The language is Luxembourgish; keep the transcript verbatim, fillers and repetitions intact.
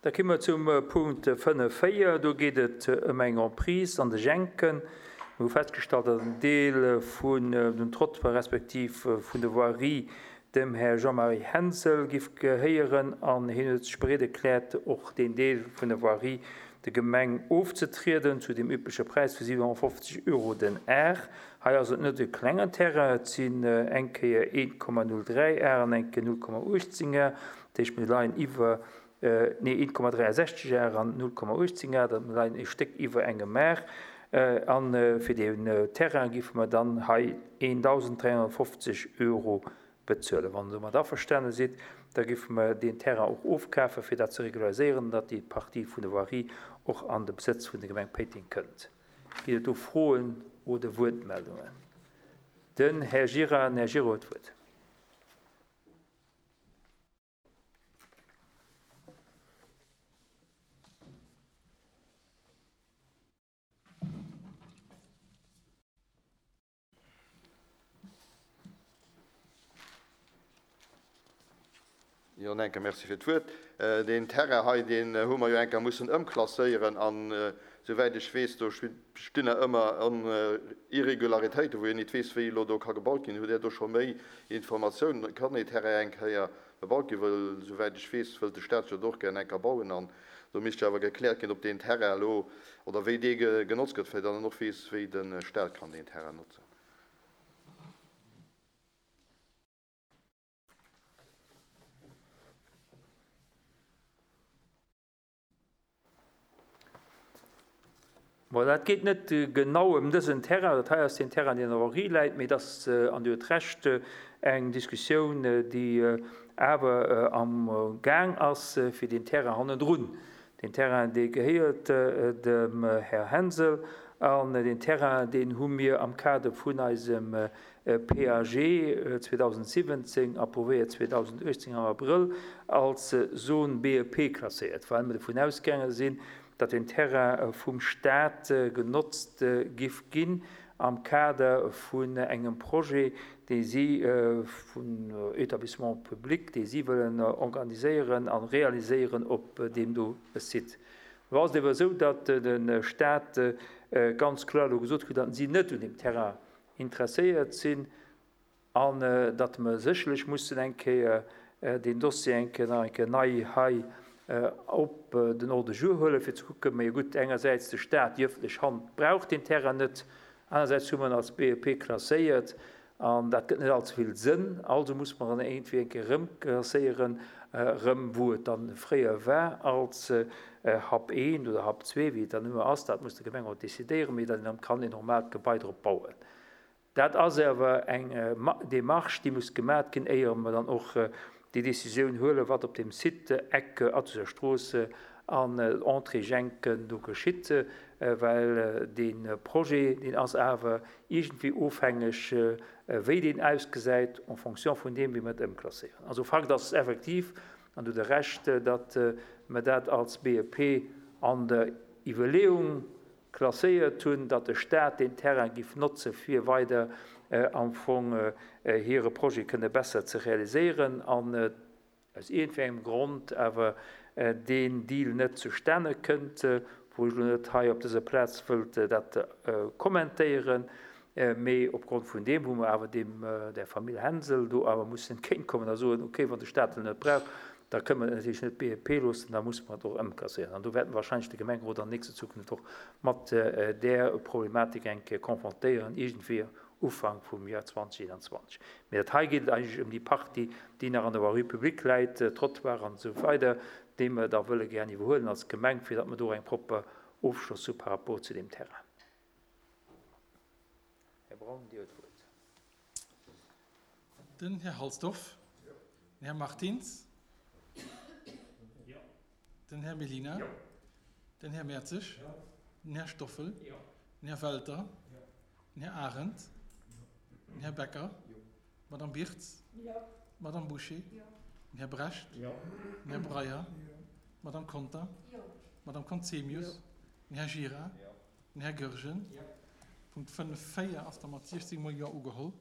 Da komme mer zum Punkt fënnef véier. Do geet et ëm eng Emprise an de Jenken. Mir hu festgestallt, datt en Deel vun dem Trottoir respektiv vun der Voirie dem Här Jean-Marie Hensel giff gehéieren an hien huet sech bereet erkläert, och deen Deel vun der Voirie der Gemeng ofzetrieden zu deem übleche Präis vu siwenhonnertfofzeg Euro den Ar. Hei ass et net e klengen Terrain, et sinn eng Kéier een Komma null dräi Ar an eng Kéier null Komma uechtzéng Ar, dat heescht mir leien iwwer, nee, een Komma dräiasechzeg Ar an null Komma uechtzéng Ar, dat mir leien e Stéck iwwer engem Ar. A fir deen Terrain giffe mer dann hei eendausend dräihonnertfofzeg Euro bezuelen. Wann Der domat averstane sidd, da giffe mer deen Terrain och ofkafen, fir dat ze regulariséieren, datt déi Partie vun der Voirie och an de Besëtz vun der Gemeng Péiteng kënnt. Ginn et do Froen oder Wuertmeldungen? Den Här Gira, den Här Giro huet d'Wuert. Jo, en enker Merci fir d'Wuert. Deen Terrain hei, deen hu mer jo enker mussen ëmklasséieren an, souwäit ech weess, do stinn nach ëmmer Irregularitéiten, wou een nit weess, wéi elo do ka gebaut ginn. Hutt Där do scho méi Informatiounen? Kann dee Terrain eng Kéier bebaut ginn? Well, souwäit ech weess, wëllt de Staat jo do och gär enker bauen an do misst jo awer gekläert ginn, ob deen Terrain elo oder wéi dee genotzt gëtt, fir datt en och weess, wéi de Staat kann deen Terrain notzen. Bon, dat geet net genau ëm dësen Terrain, dat hei ass deen Terrain, deen an der Voirie läit, mee et ass, an Dir hutt Recht, eng Diskussioun, déi awer am Gaang ass fir deen Terrain hannendrun. Deen Terrain, dee gehéiert dem Här Hensel an deen Terrain, deen hu mir am Kader vun eisem P A G zweedausendsiwwenzéng, approuvéiert zweedausendachtzéng am Abrëll, als Zone B E P klasséiert, well mir dovun ausgaange sinn, datt den Terrain vum Staat genotzt giff ginn am Kader vun engem Projet, dee si vun Établissement public, dee si wëllen organiséieren a realiséieren op deem do Site. Lo ass et ewer esou, datt de Staat ganz kloer elo gesot huet, datt si net un deem Terrain interesséiert sinn an datt mer sécherlech mussen eng Kéier deen Dossier eng Kéier nach eng Kéier nei hei op den Ordre du jour huelen, fir ze kucken, majo gutt, engersäits de Staat, déi ëffentlech Hand braucht deen Terrain net, anersäits hu mer en als B E P klasséiert an dat gëtt net allze vill Sënn, also muss mer en iergendwéi eng Kéier erëmklasséieren, erëm wou et dann fréier war als Hub eent oder Hub zwee, wéi et dann ëmmer ass, dat muss de Gemengerot decidéieren, mee datt een dann kann en normaalt Gebai drop bauen. Dat ass awer eng Démarche, déi muss gemat ginn, éier mer dann och déi Décisioun huelen, wat op deem Site Eck Athuser Strooss an Entrée Jenken do geschitt, well dee Projet, deen ass awer iergendwéi ofhängeg, wéi deen ausgesäit, en fonction vun deem, wéi mer et ëmklasséieren. Also Fakt ass effektiv, an do hutt Der Recht, datt mer dat als B E P an der Iwwerleeung klasséiert hunn, datt de Staat deen Terrain giff notze fir weider am Fong hire Projet kënne besser ze realiséieren an aus iergendwéi engem Grond awer deen Deal net zustane kënnt, wou ech elo net hei op dëser Plaz wëllt dat kommentéieren, mee opgrond vun deem hu mer awer deem der Famill Hensel do awer mussen entgéintkommen a soen, okay, wann de Staat en net brauch, da kënne mer et natierlech net B E P loossen, da musse mer et och ëmklasséieren. An do wäerte mer wahrscheinlech de Gemengerot an nächster Zukunft och mat där Problematik eng Kéier konfrontéieren, iergendwéi Ufank vum Joer zweedausendeenanzwanzeg. Mee dat hei geet et eigentlech ëm déi Partie, déi nach an der Voirie publique läit, Trottoir an esou weider, déi mer da wëlle gären iwwerhuelen als Gemeng, fir datt mer do eng propper Ofschloss hu par rapport zu deem Terrain. Här Braun, Dir hutt d'Wuert. Den Här Halsdorf. Den Här Martins. Den Här Mellina. Den Här Mertzig. Den Här Stoffel. Den Här Welter. Den Här Arendt. Den Här Becker. D'Madame Birtz. D'Madame Bouché. Den Här Brecht. Den Här Breyer. D'Madame Conter. D'Madame Conzemius. Den Här Gira. Den Här Goergen. Punkt fënnef véier ass da mat siechzéng mol Jo ugeholl.